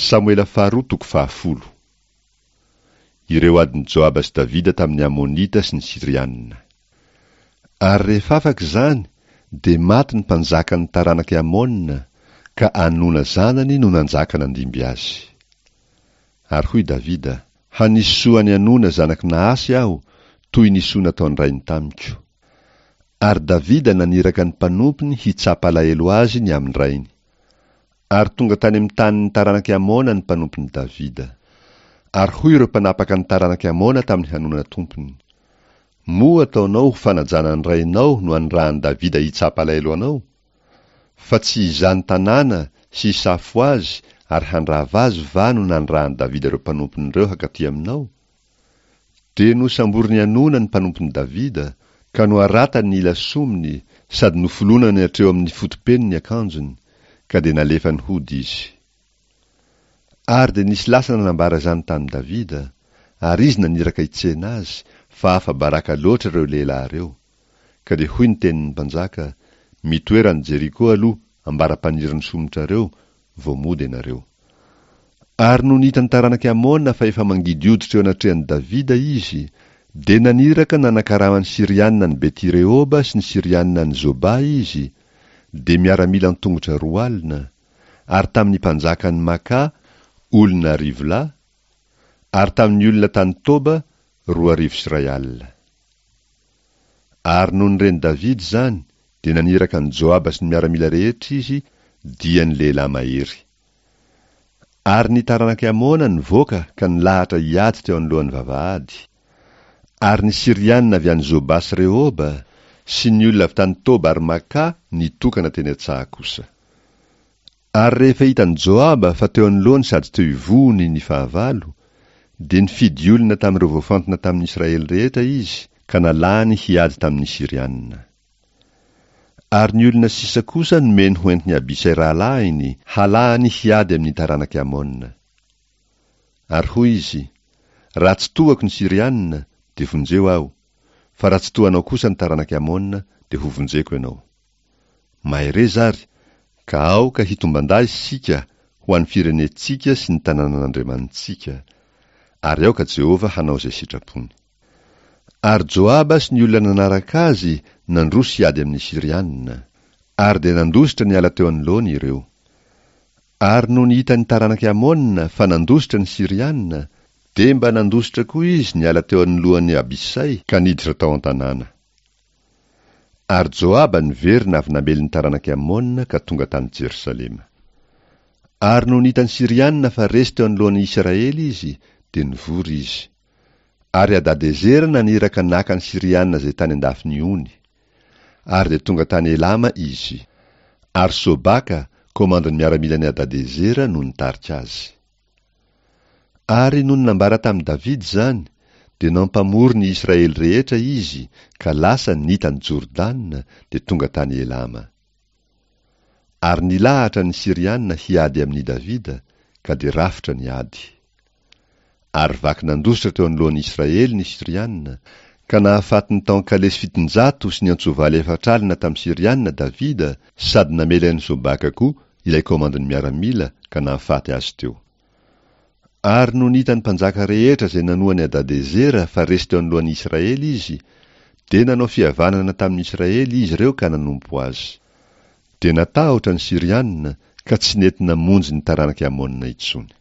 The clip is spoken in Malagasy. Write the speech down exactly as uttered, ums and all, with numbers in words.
Samoela faharoa toko fahafolo. Ireo adin'i Joaba sy Davida tamin'ny Amonita sy ny Syrianina. Ary rehefa afaka izany, dia maty ny mpanjakan'ny taranak'i Amona, ka Anona zanany no nanjaka nandimby azy. Ary hoy Davida, Hanisy soa an'i Anona zanak'i Nahasy aho, toy ny soa nataon-drainy tamiko. Ary Davida naniraka ny mpanompony hitsapa alahelo azy ny amin-drainy. Ary tonga tany amin'ny tanin'ny taranak'i Amona ny mpanompon'i Davida. Ary hoy ireo mpanapaka ny taranak'i Amona tamin'i Hanona tompony, Moa ataonao ho fanajana ny rainao no anirahan'i Davida hitsapa alahelo anao? Fa tsy izany tanàna sy hisafo azy ary handrava azy va no nanirahan'i Davida ireo mpanompony ireo hankaty aminao? Dia nosamborin'i Hanona ny mpanompon'i Davida, ka noharatany ny ila somony sady nofolonany hatreo amin'ny fotopeny ny akanjony, ka dia nalefany hody izy. Ary dia nisy lasa nanambara izany tamin'i Davida, ary izy naniraka hitsena azy, fa afa-baraka loatra ireo lehilahy ireo. Ka dia hoy ny tenin'ny mpanjaka, Mitoera any Jeriko aloha, ambara-panirin'ny somotrareo, vao mody ianareo. Ary nony hitan'ny taranak'i Amona fa efa mangidy hoditra eo anatrehan'i Davida izy, dia naniraka nanakarama ny Syrianina any Beti-Rehoba sy ny Syrianina any Zoba izy, dia miaramila an-tongotra roa alina, ary tamin'ny mpanjakan'i Maka, olona arivo lahy, ary tamin'ny olona tany Toba, roa arivo sy iray alina. Ary nony ren'i Davida izany, dia naniraka an'i Joaba sy ny miaramila rehetra izy, dia ny lehilahy mahery. Ary ny taranak'i Amona nivoaka ka nilahatra hiady teo anoloan'ny vavahady. Ary ny Syrianina avy any Zoba sy Rehoba, sy ny olona avy tany Toba ary Maka nitokana teny an-tsaha kosa. Ary rehefa hitan'i Joaba fa teo anoloany sady teo ivohony ny fahavalo, dia nifidy olona tamin'ireo voafantina tamin'ny Israely rehetra izy ka nalahany hiady tamin'ny Syrianina. Ary ny olona sisa kosa nomeny ho entin'i Abisay rahalahiny, halahany hiady amin'ny taranak'i Amona. Ary hoy izy, Raha tsy tohako ny Syrianina, dia vonjeo aho, fa raha tsy tohanao kosa ny taranak'i Amona, dia hovonjeko ianao. Mahereza ary, ka aoka hitomban-dahy isika ho an'ny firenentsika sy ny tanànan'Andriamanitsika, ary aoka Jehovah hanao izay sitrapony. Ary Joaba sy ny olona nanaraka azy nandroso hiady amin'ny Syrianina, ary dia nandositra niala teo anoloany ireo. Ary nony hitan'ny taranak'i Amona fa nandositra ny Syrianina, dia mba nandositra koa izy niala teo anoloan'i Abisay ka niditra tao an-tanàna. Ary Joaba niverina avy namely ny taranak'i Amona ka tonga tany Jerosalema. Ary nony hitan'ny Syrianina fa resy teo anoloan'ny Israely izy, dia nivory izy. Ary Hadadezera naniraka naka ny Syrianina izay tany an-dafin'ny ony. Ary dia tonga tany Elama izy. Ary Sobaka, komandin'ny miaramilan'i Hadadezera, no nitarika azy. Ary nony nambara tamin'i Davida izany, dia nampamory ny Israely rehetra izy, ka lasa nita an'i Jordana, dia tonga tany Elama. Ary nilahatra ny Syrianina hiady amin'i Davida, ka dia rafitra ny ady. Ary vaky nandositra teo anoloan'ny Israely ny Syrianina, ka nahafaty ny tao an-kalesy fitonjato sy ny antsovaly efatra alina tamin'ny Syrianina Davida, sady namely an'i Sobaka koa ilay komandin'ny miaramila, ka nahafaty azy teo. Ary nony hitan'ny mpanjaka rehetra izay nanoa an'i Hadadezera fa resy teo anoloan'ny Israely izy, dia nanao fihavanana tamin'ny Israely izy ireo ka nanompo azy. Dia natahotra ny Syrianina, ka tsy nety namonjy ny taranak'i Amona intsony.